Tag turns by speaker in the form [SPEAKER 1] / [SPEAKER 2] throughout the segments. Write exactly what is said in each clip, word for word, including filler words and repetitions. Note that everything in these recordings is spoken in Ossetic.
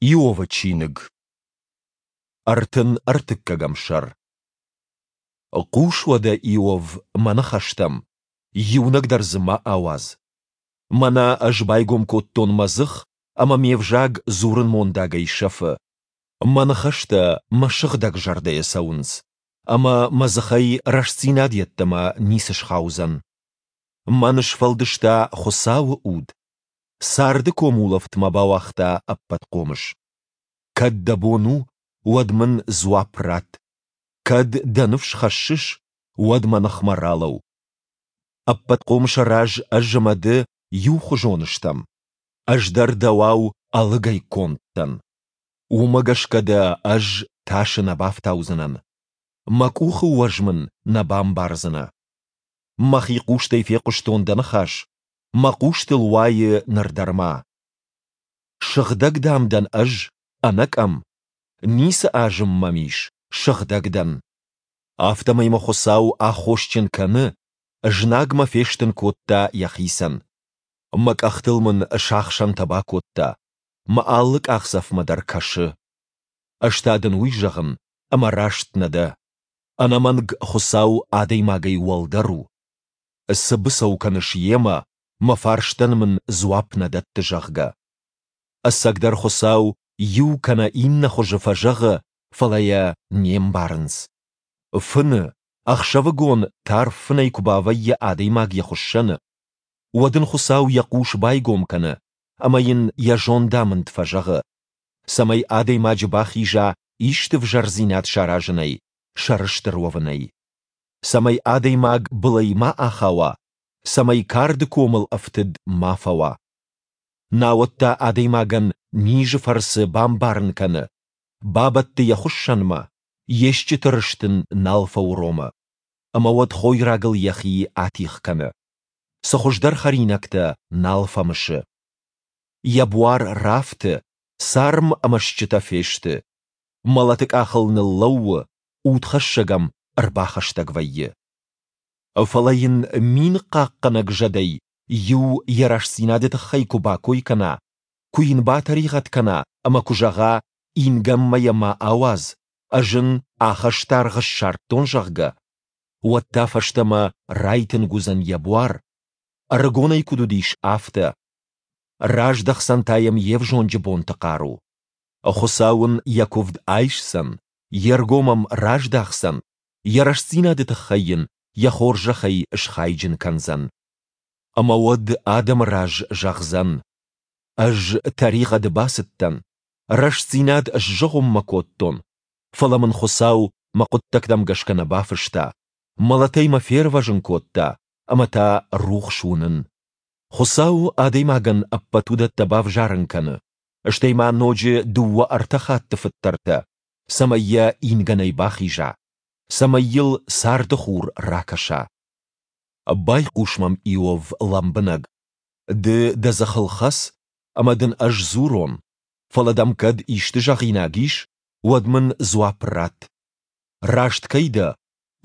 [SPEAKER 1] Иовы чиныг, ӕртын ӕртыккӕгӕм сӕр. Хъус уӕдӕ, Иов, мӕ ныхӕстӕм, иунӕг дӕр дзы ма ауадз. Мӕнӕ ӕз байгом кодтон мӕ дзых, ӕмӕ ме взаг дзурынмондагӕй сӕфы. Мӕ ныхӕстӕ мӕ сыгъдӕг зӕрдӕйӕ цӕуынц, ӕмӕ мӕ дзыхӕй рӕстдзинад йеддӕмӕ ницы схаудзӕн. Мӕн сфӕлдыста Хуыцауы уд, царды комулӕфт мӕ бауагъта Ӕппӕтхъомыс. Кӕд дӕ бон у, уӕд мын дзуапп ратт. Кӕд дӕ ныфс хӕссыс, уӕд мӕ ныхмӕ ралӕуу. Ӕппӕтхъомысы раз ӕз ӕмӕ ды иухуызон стӕм. Ӕз дӕр дӕуау ӕлыгӕй конд дӕн. Уымӕ гӕсгӕ дӕ ӕз тасы нӕ бафтаудзынӕн. Мӕ къухы уӕз мын нӕ бамбардзынӕ. Мӕхи хъустӕй фехъуыстон дӕ ныхас, мӕ хъустыл уайы ныр дӕр ма. Сыгъдӕг, дам, дӕн ӕз, ӕнӕкъӕм. Ницы азым мӕм ис, сыгъдӕг дӕн. Афтӕмӕй мӕ Хуыцау аххосджын кӕны, знаг мӕ фестын кодта йӕхицӕн. Мӕ къӕхтыл мын сахсӕнтӕ бакодта, мӕ алы къахдзӕфмӕ дӕр кӕсы. Ӕз та дын уый зӕгъын, ӕмӕ раст нӕ дӕ. Ӕнӕмӕнг Хуыцау адӕймагӕй уӕлдӕр у. Цы быцӕу кӕныс йемӕ, мӕ фарстӕн мын дзуапп нӕ дӕтты, зӕгъгӕ. Ӕцӕгдӕр Хуыцау иу кӕнӕ иннӕ хуызы фӕзӕгъы, фӕлӕ йӕ не мбарынц. Фыны, ӕхсӕвыгон тарф фынӕй куы бавӕййы адӕймаг йӕ хуыссӕны, уӕд ын Хуыцау йӕ хъус байгом кӕны ӕмӕ йын йӕ зондамынд фӕзӕгъы, цӕмӕй адӕймаджы бахиза исты взӕрдзинад саразынӕй, сӕрыстыр уӕвынӕй. Цӕмӕй адӕймаг былӕй ма ахауа, цӕмӕй карды комыл ӕфтыд ма фӕуа. Науӕд та адӕймагӕн низы фӕрцы бамбарын кӕны, бабӕтты йӕ хуыссӕнмӕ, йе стджыты рыст ын нал фӕуромы, ӕмӕ уӕд хойрагыл йӕхи атигъ кӕны. Цы хуыздӕр хӕринӕгтӕ нал фӕмысы. Йӕ буар рафты, царм ӕмӕ стджытӕ фесты. Мӕлӕты къахыл ныллӕууы, удхӕссӕг ӕм ӕрбахӕстӕг вӕййы. Фӕлӕ йын мин хъахъхъӕнӕг зӕдӕй иу йӕ рӕстдзинады тыххӕй куы бакой кӕна, куы йын батӕригъӕд кӕна ӕмӕ куы зӕгъа, ингӕнмӕ йӕ ма ауадз, ӕз ын ахӕстаргъ ссардтон, зӕгъгӕ, уӕд та фӕстӕмӕ райтынг уыдзӕн йӕ буар, ӕрыгонӕй куыд уыдис, афтӕ. Раздӕхдзӕн та йӕм йе взонджы бонты хъару. Хуыцау ын йӕ куывд айсдзӕн, йе ргом ӕм раздахдзӕн, йӕ рӕстдзинады тыххӕй йын йӕ хорзӕхӕй схайджын кӕндзӕн. Ӕмӕ уӕд адӕмы раз зӕгъдзӕн: Ӕз тӕригъӕды бацыдтӕн, рӕстдзинад сзыгъуыммӕ кодтон, фӕлӕ мын Хуыцау мӕ хъуыддӕгтӕм гӕсгӕ нӕ бафыста, мӕлӕтӕй мӕ фервӕзын кодта, ӕмӕ та рухс уынын. Хуыцау адӕймагӕн ӕппӕт уыдӕттӕ бавзарын кӕны, стӕй ма ноджы дыууӕ-ӕртӕ хатты фыддӕртӕ, цӕмӕй йӕ ингӕнӕй бахиза, цӕмӕй йыл царды хур ракӕса. Байхъус мӕм, Иов, лӕмбынӕг. Ды дӕ дзыхыл хӕц, ӕмӕ дын ӕз дзурон, фӕлӕ дӕм кӕд исты зӕгъинаг ис, уӕд мын дзуапп ратт. Раст кӕй дӕ,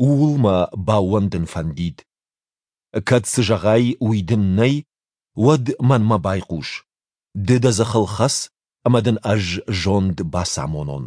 [SPEAKER 1] ууыл мӕ баууӕндын фӕндид. Кӕд цы зӕгъай, уый дын нӕй, уӕд мӕнмӕ байхъус. Ды дӕ дзыхыл хӕц, ӕмӕ дын ӕз зонд бацамонон.